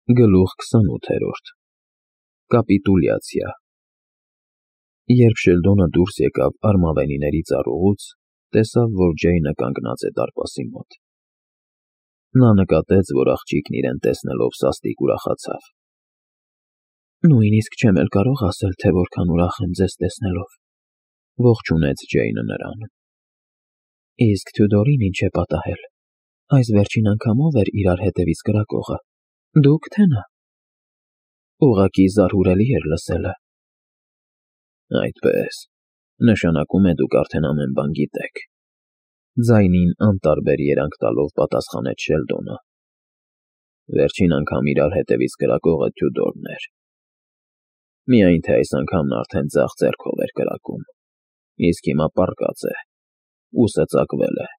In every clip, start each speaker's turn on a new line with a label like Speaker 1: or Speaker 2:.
Speaker 1: Գլուխ 28 Կապիտուլյացիա Երբ Շելդոնը դուրս եկավ արմավենիների ծառուղուց, տեսավ, որ Ջեյնը կանգնած է դարպասի մոտ։ Նա նկատեց, որ աղջիկն իրեն տեսնելով սաստիկ ուրախացավ։ Նույնիսկ չեմ էլ կարող ասել, թե որքան ուրախ եմ ձեզ տեսնելով, ողջունեց Ջեյնը նրան։ Իսկ Թյուդորին ինչ է պատահել, այս վերջին անգամով էր իրար հետևից կրակողը, դուք թե նա։ Ուղղակի զարհուրելի էր լսելը։ Այդպես, նշանակում է դուք արդեն ամեն բան գիտեք, ձայնին անտարբեր երանգ տալով պատասխանեց Շելդոնը։ Վերջին անգամ իրար հետևից կրակողը Թյուդորն էր։ Միայն թե այս անգամ նա արդեն ձախ ձեռքով էր կրակում, իսկ հիմա պառկած է, ուսը ծակվել է։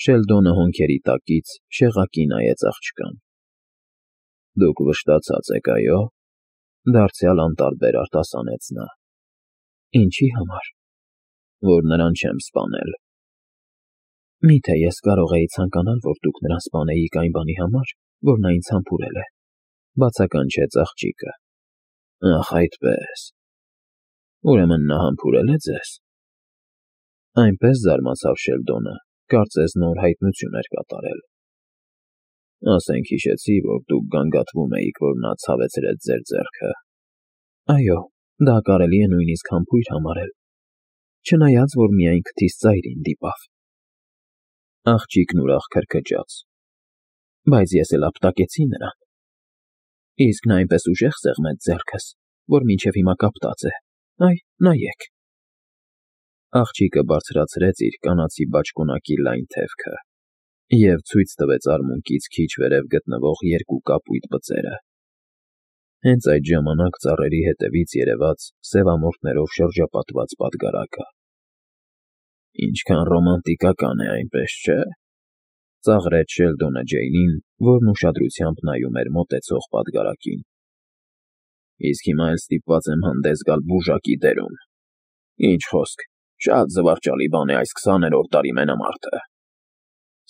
Speaker 1: Շելդոնը հոնքերի տակից շեղակի նայեց աղջկան։ Դուք վշտացած եք, այո՞, դարձյալ անտարբեր արտասանեց նա։ Ինչի համար։ Որ նրան չեմ սպանել։ Միթե ես կարող էի ցանկանալ, որ դուք նրան սպանեիք այն բանի համար, որ նա ինձ համբուրել է, բացականչեց աղջիկը։ Ախ, այդպես։ Ուրեմն նա համբուրել է ձեզ։ Այնպես զարմացավ Շելդոնը, կարծես նոր հայտնություն էր կատարել։ Ասենք հիշեցի, որ դուք գանգատվում էիք, որ նա ցավեցրեց ձեր ձեռքը։ Այո, դա կարելի է նույնիսկ համբույր համարել, չնայած, որ միայն քթիս ծայրին դիպավ։ Աղջիկն ուրախ քրքջաց։ Բայց ես էլ ապտակեցի նրան։ Իսկ նա այնպես ուժեղ սեղմեց ձեռքս, որ մինչև հիմա կապտած է։ Այ, նայեք։ Աղջիկը բարձրացրեց իր կանացի բաճկոնակի լայն թևքը և ցույց տվեց արմունկից քիչ վերև գտնվող երկու կապույտ բծերը։ Հենց այդ ժամանակ ծառերի հետևից երևաց սևամորթներով շրջապատված պատգարակը։ Ինչքան ռոմանտիկական է, այնպես չէ՞, ծաղրեց Շելդոնը Ջեյնին, որն ուշադրությամբ նայում էր մոտեցող պատգարակին։ Իսկ հիմա էլ ստիպված եմ հանդես գալ բուժակի դերում։ Ինչ խոսք, շատ զվարճալի բան է այս 20-րդ դարի մենամարտը։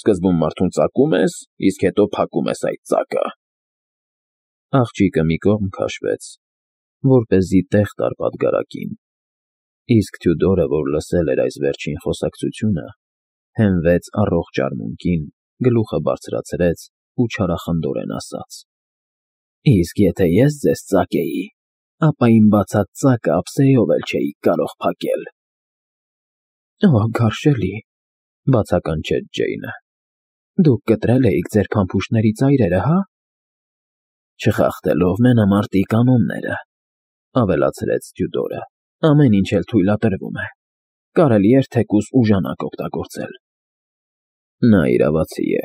Speaker 1: Սկզբում մարդուն ծակում ես, իսկ հետո փակում ես այդ ծակը։ Աղջիկը մի կողմ քաշվեց, որպեսզի տեղ տար պատգարակին, իսկ Թյուդորը, որ լսել էր այս վերջին խոսակցությունը, հենվեց առողջ արմունկին, գլուխը բարձրացրեց ու չարախնդորեն ասաց. Իսկ եթե ես ձեզ ծակեի, ապա իմ բացած ծակը ափսեով էլ չէիք կարող փակել։ Օ, գարշելի, բացականչեց Ջեյնը։ Դուք կտրել էիք ձեր փամփուշտների ծայրերը, հա։ Չխախտելով մենամարտի կանոնները, ավելացրեց Թյուդորը, ամեն ինչ էլ թույլատրվում է։ Կարելի էր թեկուզ ուժանակ օգտագործել։ Նա իրավացի է,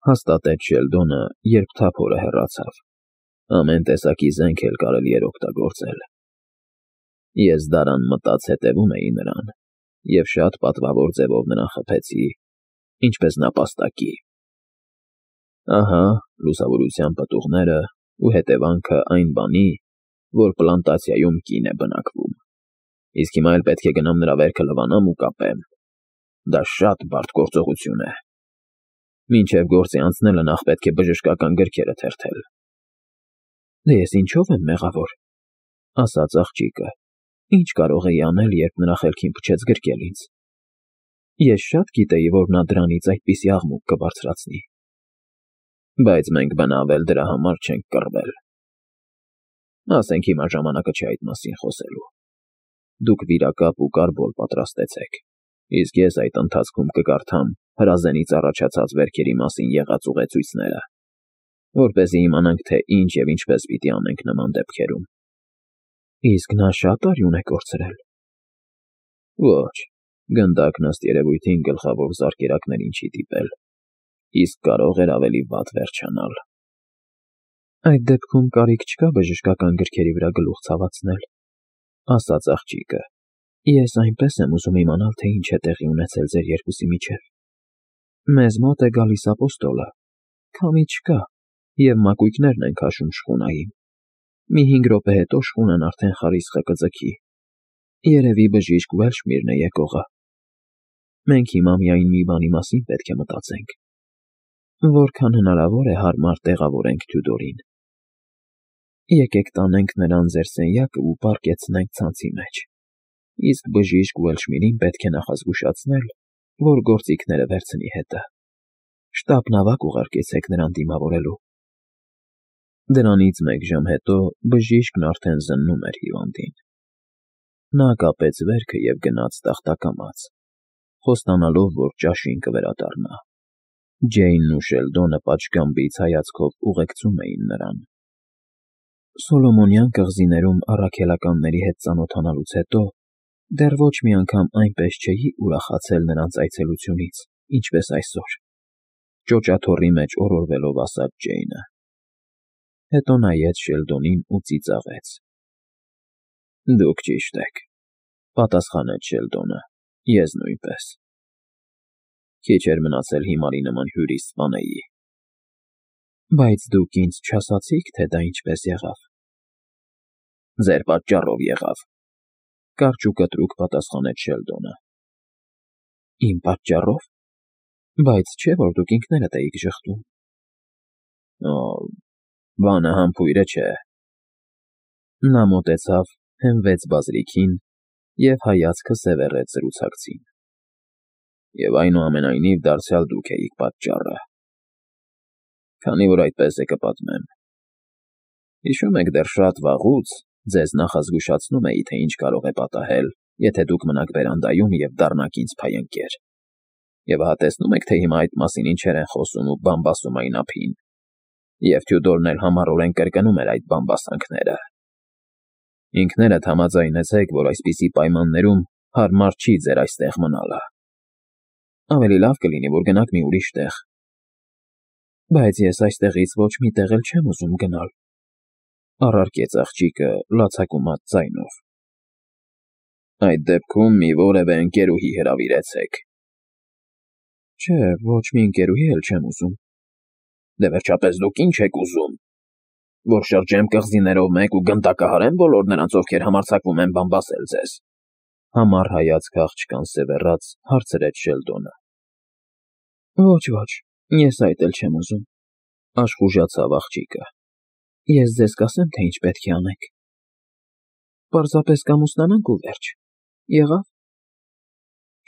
Speaker 1: հաստատեց Շելդոնը, երբ թափորը հեռացավ։ Ամեն տեսակի զենք էլ կարելի էր օգտագործել։ Ես դարան մտած հետևում էի նրան և շատ պատվավոր ձևով նրան խփեցի, ինչպես նապաստակի։ Ահա, լուսավորության պտուղները ու հետևանքը այն բանի, որ պլանտացիայում կին է բնակվում։ Իսկ հիմա էլ պետք է գնամ նրա վերքը լվանամ ու կապեմ։ Դա շատ բարդ գործողություն է։ Մինչև գործի անցնելը նախ պետք է բժշկական գրքերը թերթել։ Դե ես ինչով եմ մեղավոր, ասաց աղջիկը։ Ինչ կարող էի անել, երբ նրա խելքին փչեց գրկել ինձ։ Ես շատ գիտեի, որ նա դրանից այդպիսի աղմուկ կբարձրացնի։ Բայց մենք բնավել դրա համար չենք կռվել։ Ասենք հիմա ժամանակը չէ այդ մասին խոսելու։ Դուք վիրակապ ու կարբոլ պատրաստեցեք, իսկ ես այդ ընթացքում կկարդամ հրազենից առաջացած վերքերի մասին եղած ուղեցույցները, որպեսզի իմանանք, թե ինչ և ինչպես պիտի անենք նման դեպքերում։ Իսկ նա շատ արյուն է կորցրել։ Ոչ, գնդակն ըստ երևույթին գլխավոր զարկերակներին չի դիպել, իսկ կարող էր ավելի վատ վերջանալ։ Այդ դեպքում կարիք չկա բժշկական գրքերի վրա գլուխ ցավացնել, ասաց աղջիկը։ Ես այնպես եմ ուզում իմանալ, թե ինչ է տեղի ունեցել ձեր երկուսի միջև։ Մեզ մոտ է գալիս ապոստոլը, քամի չկա, և մակույկներն են քաշում շխունային։ Մի 5 րոպե հետո շխունն արդեն խարիսխը կձգի։ Երևի բժիշկ Ուելշմիրն է եկողը։ Մենք հիմա միայն մի բանի մասին պետք է մտածենք։ Որքան հնարավոր է հարմար տեղավորենք Թյուդորին։ Եկեք տանենք նրան ձեր սենյակը ու պառկեցնենք ցանցի մեջ, իսկ բժիշկ Ուելշմիրին պետք է նախազգուշացնել, որ գործիքները վերցնի հետը։ Շտապ նավակ ուղարկեցեք նրան դիմավորելու։ Դրանից մեկ ժամ հետո բժիշկն արդեն զննում էր հիվանդին։ Նա կապեց վերքը և գնաց տախտակամաց, խոստանալով, որ ճաշին կվերադառնա։ Ջեյնն ու Շելդոնը պատշգամբից հայացքով ուղեկցում էին նրան։ Սոլոմոնյան կղզիներում առաքելականների հետ ծանոթանալուց հետո դեռ ոչ մի անգամ այնպես չէի ուրախացել նրանց այցելությունից, ինչպես այսօր, ճոճաթոռի մեջ օրորվելով ասաց Ջեյնը։ Հետո նայեց Շելդոնին ու ծիծաղեց։ Դուք ճիշտ եք, պատասխանեց Շելդոնը, ես նույնպես։ Քիչ էր մնացել հիմարի նման հյուրի սպանեի։ Բայց դուք ինձ չասացիք, թե դա ինչպես եղավ։ Ձեր պատճառով եղավ, կարճ ու կտրուկ պատասխանեց Շելդոնը։ Իմ պատճառով։ Բայց չէ՞ որ դուք ինքներդ էիք ժխտում։ Օ, բանը համբույրը չէ։ Նա մոտեցավ, հենվեց բազրիքին և հայացքը սևեռեց զրուցակցին։ Եվ այնուամենայնիվ դարձյալ դուք էիք պատճառը։ Քանի որ այդպես է կպատմեմ։ Հիշում եք դեռ շատ վաղուց ձեզ նախազգուշացնում էի, թե ինչ կարող է պատահել, եթե դուք մնաք բերանդայում և դառնաք ինձ փայընկեր։ Եվ ահա տեսնում եք, թե հիմա այդ մասին ինչեր են խոսում ու բամբասում այն ափին։ Եվ Թյուդորն էլ համառորեն կրկնում էր այդ բամբասանքները։ Ինքներդ համաձայնեցեք, որ այսպիսի պայմաններում հարմար չի ձեր այստեղ մնալը։ Ավելի լավ կլինի, որ գնաք մի ուրիշ տեղ։ Բայց ես այստեղից ոչ մի տեղ էլ չեմ ուզում գնալ, առարկեց աղջիկը լացակումած ձայնով։ Այդ դեպքում մի որևէ ընկերուհի հրավիրեցեք։ Չէ, ոչ մի ընկերուհի էլ չեմ ուզում։ Դե վերջապես դուք ինչ եք ուզում։ Որ շրջեմ կղզիներով մեկ ու գնդակահարեմ բոլոր նրանց, ովքեր համարձակվում են բամբասել ձեզ։ Համառ հայացք աղջկան սևեռած հարցրեց Շելդոնը։ Ոչ, ես այդ էլ չեմ ուզում, աշխուժացավ աղջիկը։ Ես ձեզ կասեմ, թե ինչ պետք է անեք։ Պարզապես կամուսնանանք ու վերջ։ Եղավ։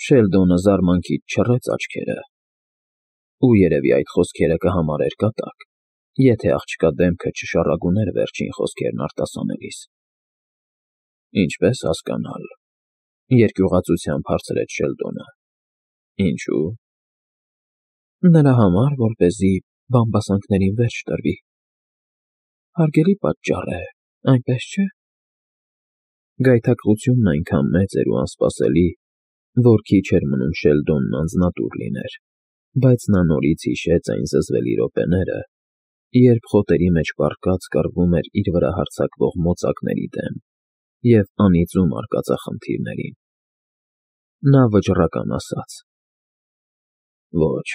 Speaker 1: Շելդոնը զարմանքից չռեց աչքերը։ Ու երևի այդ խոսքերը կհամարեր կատակ, եթե աղջկա դեմքը չշառագուներ վերջին խոսքերն արտասանելիս։ Ինչպես հասկանալ, երկյուղածությամբ հարցրեց Շելդոնը։ Ինչու։ Նրա համար, որպեսզի բամբասանքներին վերջ տրվի։ Հարգելի պատճառ է, այնպես չէ։ Գայթակղությունն այնքան մեծ էր ու անսպասելի, որ քիչ էր մնում Շելդոնն անձնատուր լիներ, բայց նա նորից հիշեց այն զզվելի րոպեները, երբ խոտերի մեջ պառկած կռվում էր իր վրա հարձակվող մոծակների դեմ և անիծում արկածախնդիրներին։ Նա վճռական ասաց. Ոչ,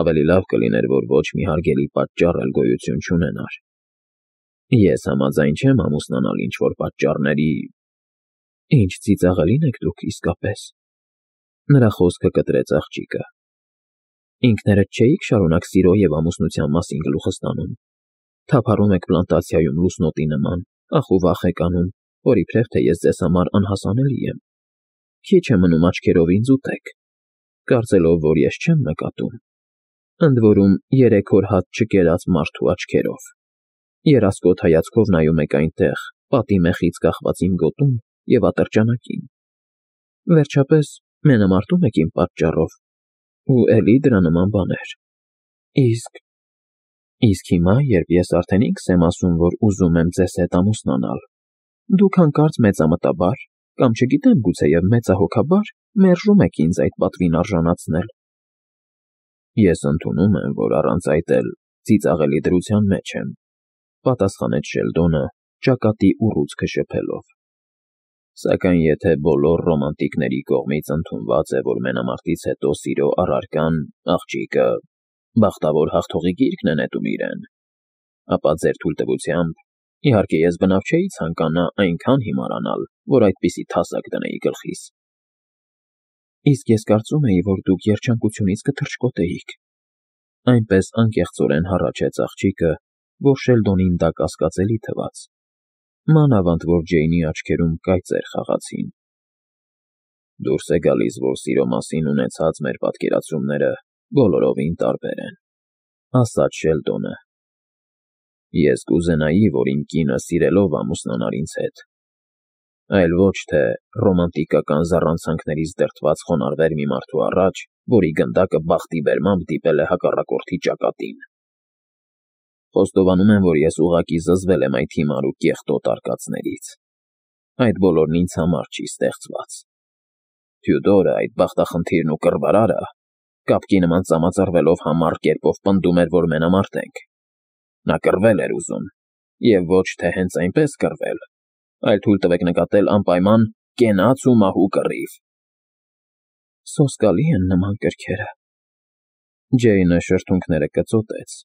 Speaker 1: ավելի լավ կլիներ, որ ոչ մի հարգելի պատճառ էլ գոյություն չունենար։ Ես համաձայն չեմ ամուսնանալ ինչ-որ պատճառների… Ինչ ծիծաղելին եք դուք իսկապես։ Նրա խոսքը կտրեց աղջիկը։ Ինքներդ չէիք շարունակ սիրո և ամուսնության մասին գլուխը ստանում։ Թափառում եք պլանտացիայում լուսնոտի նման, ախ ու վախ եք անում, որ իբրև թե ես ձեզ համար անհասանելի եմ։ Քիչ է մնում աչքերով ինձ ուտեք, կարծելով, որ ես չեմ նկատում։ Ընդ որում 3 օր հաց չկերած մարդու աչքերով։ Երասկոտ հայացքով նայում եք այնտեղ, պատի մեխից կախված իմ գոտուն և ատրճանակին։ Վերջապես մենամարտում եք իմ պատճառով, ու էլի դրա նման բաներ։ Իսկ հիմա, երբ ես արդեն ինքս եմ ասում, որ ուզում եմ ձեզ հետ ամուսնանալ, դուք հանկարծ մեծամտաբար, կամ չգիտեմ, գուցեև մեծահոգաբար մերժում եք ինձ այդ պատվին արժանացնել։ Ես ընդունում եմ, որ առանց այդ էլ ծիծաղելի դրության մեջ եմ, պատասխանեց Շելդոնը, ճակատի ուռուցքը շփելով։ Սակայն եթե բոլոր ռոմանտիկների կողմից ընդունված է, որ մենամարտից հետո սիրո առարկան, աղջիկը, բախտավոր հաղթողի գիրկն է նետում իրեն, ապա ձեր թույլտվությամբ, իհարկե ես բնավ չէի ցանկանա այնքան հիմարանալ, որ այդպիսի թասակ դնեի գլխիս։ Իսկ ես կարծում էի, որ դուք երջանկությունից կթռչկոտեիք։ Այնպես անկեղծորեն հառաչեց աղջիկը, որ Շելդոնին դա կասկածելի թվաց, մանավանդ որ Ջեյնի աչքերում կայծեր խաղացին։ Դուրս է գալիս, որ սիրո մասին ունեցած մեր պատկերացումները բոլորովին տարբեր են, ասաց Շելդոնը։ Ես կուզենայի, որ իմ կինը սիրելով ամուսնանար ինձ հետ, այլ ոչ թե ռոմանտիկական զառանցանքներից դրդված խոնարհվեր մի մարդու առաջ, որի գնդակը բախտի բերմամբ դիպել է հակառակորդի ճակատին։ Խոստովանում եմ, որ ես ուղղակի զզվել եմ այդ հիմար ու կեղտոտ արկածներից։ Այդ բոլորն ինձ համար չի ստեղծված։ Թյուդորը, այդ բախտախնդիրն ու կռվարարը, կապկի նման ծամածռվելով համառ կերպով պնդում էր, որ մենամարտ ենք։ Նա կռվել էր ուզում, և ոչ թե հենց այնպես կռվել, այլ թույլ տվեք նկատել անպայման կենաց ու մահու կռիվ։ Սոսկալի են նման կրքերը։ Ջեյնը շրթունքները կծոտեց,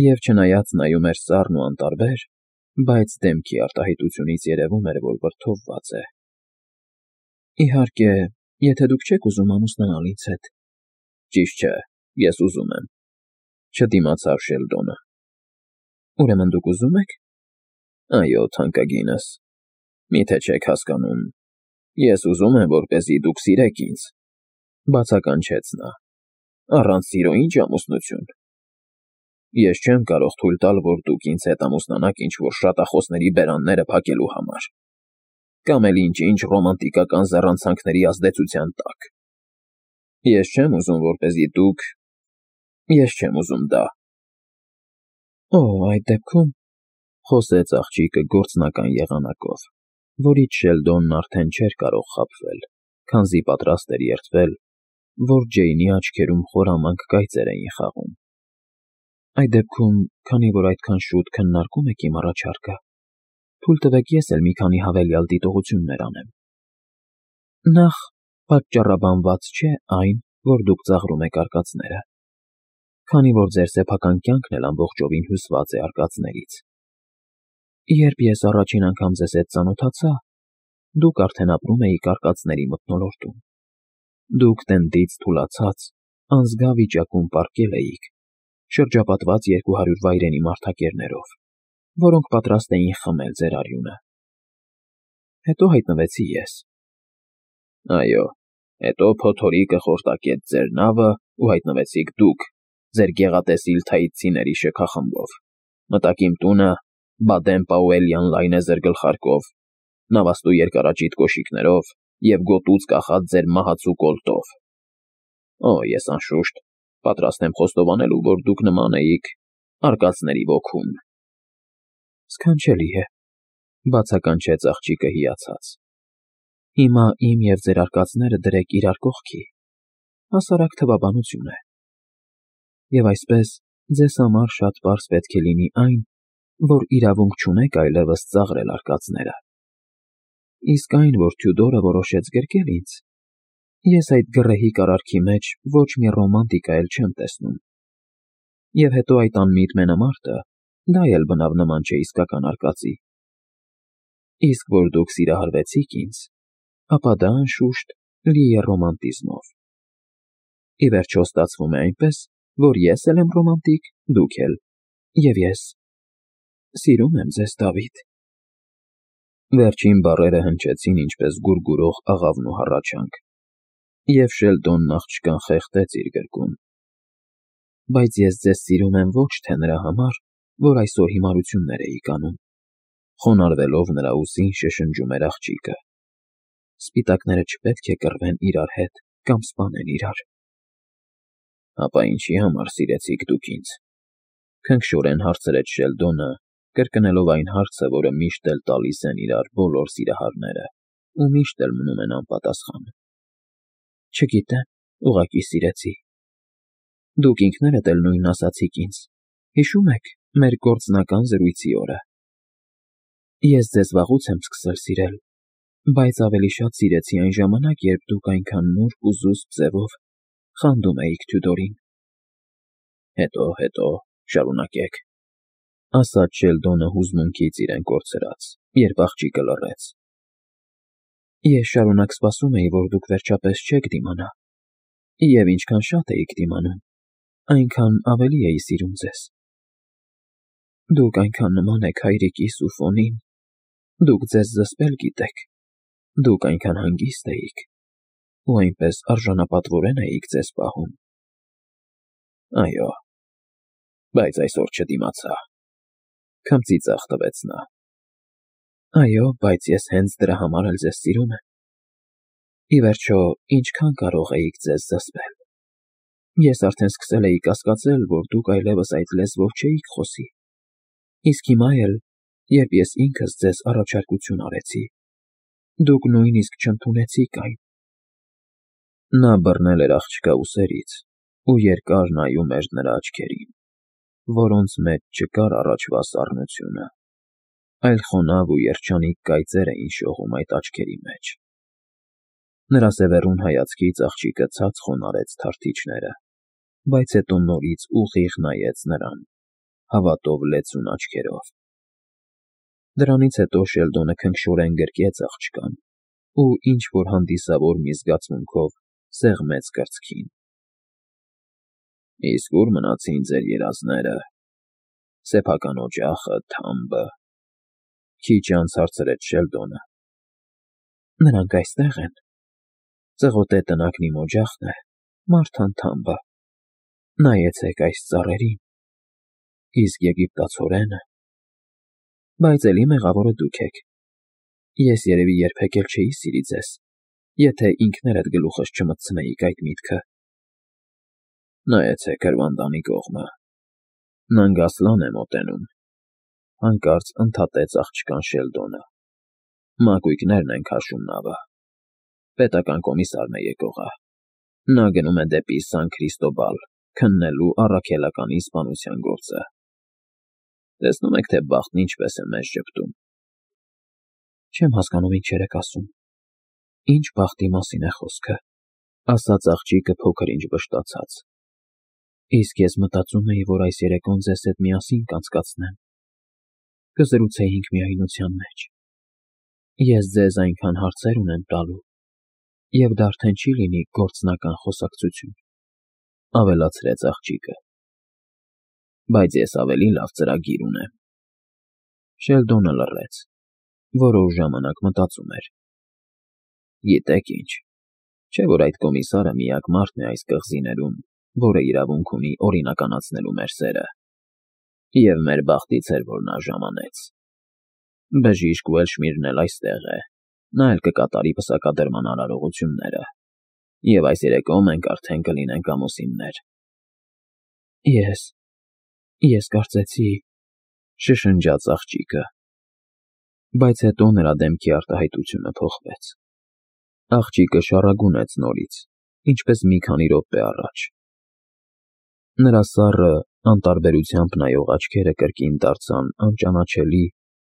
Speaker 1: և չնայած նայում էր սառն ու անտարբեր, բայց դեմքի արտահայտությունից երևում էր, որ վրդովված է։ Իհարկե, եթե դուք չեք ուզում ամուսնանալ ինձ հետ։ Ճիշտ չէ, ես ուզում եմ, չդիմացավ Շելդոնը։ Ուրեմն դուք ուզում եք։ Այո, թանկագինս, միթե չեք հասկանում, ես ուզում եմ, որպեսզի դուք սիրեք ինձ, բացականչեց նա, առանց սիրո ինչ ամուսնություն։ Ես չեմ կարող թույլ տալ, որ դուք ինձ հետ ամուսնանաք ինչ-որ շատախոսների բերանները փակելու համար, կամ էլ ինչ-ինչ ռոմանտիկական զառանցանքների ազդեցության տակ։ Ես չեմ ուզում, որպեսզի դուք… Ես չեմ ուզում դա։ Օ, այդ դեպքում, խոսեց աղջիկը գործնական եղանակով, որից Շելդոնն արդեն չէր կարող խաբվել, քանզի պատրաստ էր երդվել, որ Ջեյնի աչքերում խորամանկ կայծեր էին խաղում։ Այդ դեպքում, քանի որ այդքան շուտ քննարկում եք իմ առաջարկը, թույլ տվեք ես էլ մի քանի հավելյալ դիտողություններ անեմ։ Նախ, պատճառաբանված չէ այն, որ դուք ծաղրում եք արկածները, քանի որ ձեր սեփական կյանքն էլ ամբողջովին հյուսված է արկածներից։ Երբ ես առաջին անգամ ձեզ հետ ծանոթացա, դուք արդեն ապրում էիք արկածների մթնոլորտում։ Դուք տնդից թուլացած, անզգա վիճակում պառկել էիք, շրջապատված 200 վայրենի մարդակերներով, որոնք պատրաստ էին խմել ձեր արյունը։ Հետո հայտնվեցի ես։ Այո, հետո փոթորիկը խորտակեց ձեր նավը ու հայտնվեցիք դուք, ձեր գեղատեսիլ թայծիների շքախմբով, մտաք իմ տունը, Բադեն-Պաուելյան լայնեզր գլխարկով, նավաստու երկարաճիտ կոշիկներով և գոտուց կախած ձեր մահացու կոլտով։ Օ, ես անշուշտ պատրաստ եմ խոստովանելու, որ դուք նման էիք արկածների ոգուն։ Սքանչելի է, բացականչեց աղջիկը հիացած։ Հիմա իմ և ձեր արկածները դրեք իրար կողքի, հասարակ թվաբանություն է։ Եվ այսպես ձեզ համար շատ պարզ պետք է լինի այն, որ իրավունք չունեք այլևս ծաղրել արկածները։ Իսկ այն, որ Թյուդորը որոշեց գրկել ինձ, ես այդ գռեհիկ արարքի մեջ ոչ մի ռոմանտիկա էլ չեմ տեսնում։ Եվ հետո այդ անմիտ մենամարտը, դա էլ բնավ նման չէ իսկական արկածի։ Իսկ որ դուք սիրահարվեցիք ինձ, ապա դա անշուշտ լի է ռոմանտիզմով։ Ի վերջո ստացվում է այնպես, որ ես էլ եմ ռոմանտիկ, դուք էլ, և ես սիրում եմ ձեզ, Դավիթ։ Վերջին բառերը հնչեցին ինչպես գուրգուրող աղավնու հառաչանք, և Շելդոնն աղջկան խեղդեց իր գրկում։ Բայց ես ձեզ սիրում եմ ոչ թե նրա համար, որ այսօր հիմարություններ էիք անում, խոնարհվելով նրա ուսին շշնջում էր աղջիկը։ Սպիտակները չպետք է կռվեն իրար հետ կամ սպանեն իրար։ Ապա ինչի համար սիրեցիք դուք ինձ, քնքշորեն հարցրեց Շելդոնը, կրկնելով այն հարցը, որը միշտ էլ տալիս են իրար բոլոր սիրահարները ու միշտ էլ մնում են անպատասխան։ Չգիտեմ, ուղղակի սիրեցի։ Դուք ինքներդ էլ նույնն ասացիք ինձ, հիշո՞ւմ եք մեր գործնական զրույցի օրը։ Ես ձեզ վաղուց եմ սկսել սիրել, բայց ավելի շատ սիրեցի այն ժամանակ, երբ դուք այնքան նուրբ ու զուսպ ձևով խանդում էիք Թյուդորին։ Հետո, շարունակեք, ասաց Շելդոնը հուզմունքից իրեն կորցրած, երբ աղջիկը լռեց։ Ես շարունակ սպասում էի, որ դուք վերջապես չեք դիմանա, և ինչքան շատ էիք դիմանում, այնքան ավելի էի սիրում ձեզ։ Դուք այնքան նման եք հայրիկիս ու Ֆոնին, դուք ձեզ զսպել գիտեք, դուք այնքան հանգիստ էիք, ու այնպես արժանապատվորեն էիք ձեզ պահում։ Այո, բայց այսօր չդիմացա, քմծի ձախ տվեց նա։ Այո, բայց ես հենց դրա համար էլ ձեզ սիրում եմ։ Ի վերջո, ինչքան կարող էիք ձեզ զսպել։ Ես արդեն սկսել էի կասկածել, որ դուք այլևս այդ լեզվով չէիք խոսի, իսկ հիմա էլ, երբ ես ինքս ձեզ առաջարկություն արեցի, դուք նույնիսկ չընդունեցիք այն։ Նա բռնել էր աղջկա ուսերից ու երկար նայում էր նրա աչքերին, որոնց մեջ չկար առաջվա սառնությունը, այլ խոնավ ու երջանիկ կայծեր էին շողում այդ աչքերի մեջ։ Նրա սևեռուն հայացքից աղջիկը ցած խոնարհեց թարթիչները, բայց հետո նորից ուղիղ նայեց նրան, հավատով լեցուն աչքերով։ Դրանից հետո Շելդոնը քնքշորեն գրկեց աղջկան ու ինչ-որ հանդիսավոր մի զգացմունքով սեղմեց կրծքին։ Իսկ ուր մնացին ձեր երազները, սեփական օջախը, թամբը, քիչ անց հարցրեց Շելդոնը։ Նրանք այստեղ են։ Ծղոտե տնակն իմ օջախն է, Մարթան թամբը։ Նայեցեք այս ծառերին, իսկ եգիպտացորենը։ Բայց էլի մեղավորը դուք եք։ Ես երևի երբեք էլ չէի սիրի ձեզ, եթե ինքներդ գլուխս չմտցնեիք այդ միտքը։ Նայեցեք հրվանդանի կողմը, Նանգասլան է մոտենում, հանկարծ ընդհատեց աղջկան Շելդոնը։ Մակույկներն են քաշում նավը։ Պետական կոմիսարն է եկողը։ Նա գնում է դեպի Սան Քրիստոբալ, քննելու առաքելականի սպանության գործը։ Տեսնում եք, թե բախտն ինչպես է մեզ ճպտում։ Չեմ հասկանում ինչ եք ասում։ Ինչ բախտի մասին է խոսքը, ասաց աղջիկը փոքր-ինչ վշտացած։ Իսկ ես մտածում էի, որ այս երեկոն ձեզ հետ միասին կանցկացնեմ։ Կզրուցեինք միայնության մեջ։ Ես ձեզ այնքան հարցեր ունեմ տալու, և դա արդեն չի լինի գործնական խոսակցություն, ավելացրեց աղջիկը։ Բայց ես ավելի լավ ծրագիր ունեմ։ Շելդոնը լռեց, որոշ ժամանակ մտածում էր։ Գիտեք ինչ, չէ՞ որ այդ կոմիսարը միակ մարդն է այս կղզիներում, որը իրավունք ունի օրինականացնելու մեր սերը։ Եվ մեր բախտից էր, որ նա ժամանեց։ Բժիշկ Ուելշմիրն էլ այստեղ է, նա էլ կկատարի պսակադրման արարողությունները, և այս երեկո մենք արդեն կլինենք ամուսիններ։ Ես կարծեցի, շշնջաց աղջիկը, բայց հետո նրա դեմքի արտահայտությունը փոխվեց։ Աղջիկը շառագունեց նորից, ինչպես մի քանի րոպե առաջ։ Նրա սառը, անտարբերությամբ նայող աչքերը կրկին դարձան անճանաչելի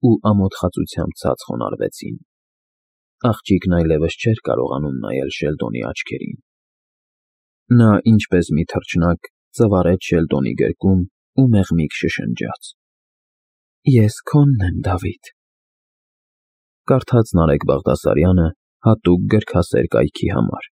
Speaker 1: ու ամոթխածությամբ ցած խոնարհվեցին։ Աղջիկն այլևս չէր կարողանում նայել Շելդոնի աչքերին։ Նա, ինչպես մի թռչնակ, ծվարեց Շելդոնի գրկում ու մեղմիկ շշնջաց. Ես քոնն եմ, Դավիթ։ Կարդաց Նարեկ Բաղդասարյանը հատուկ գրքասեր կայքի համար։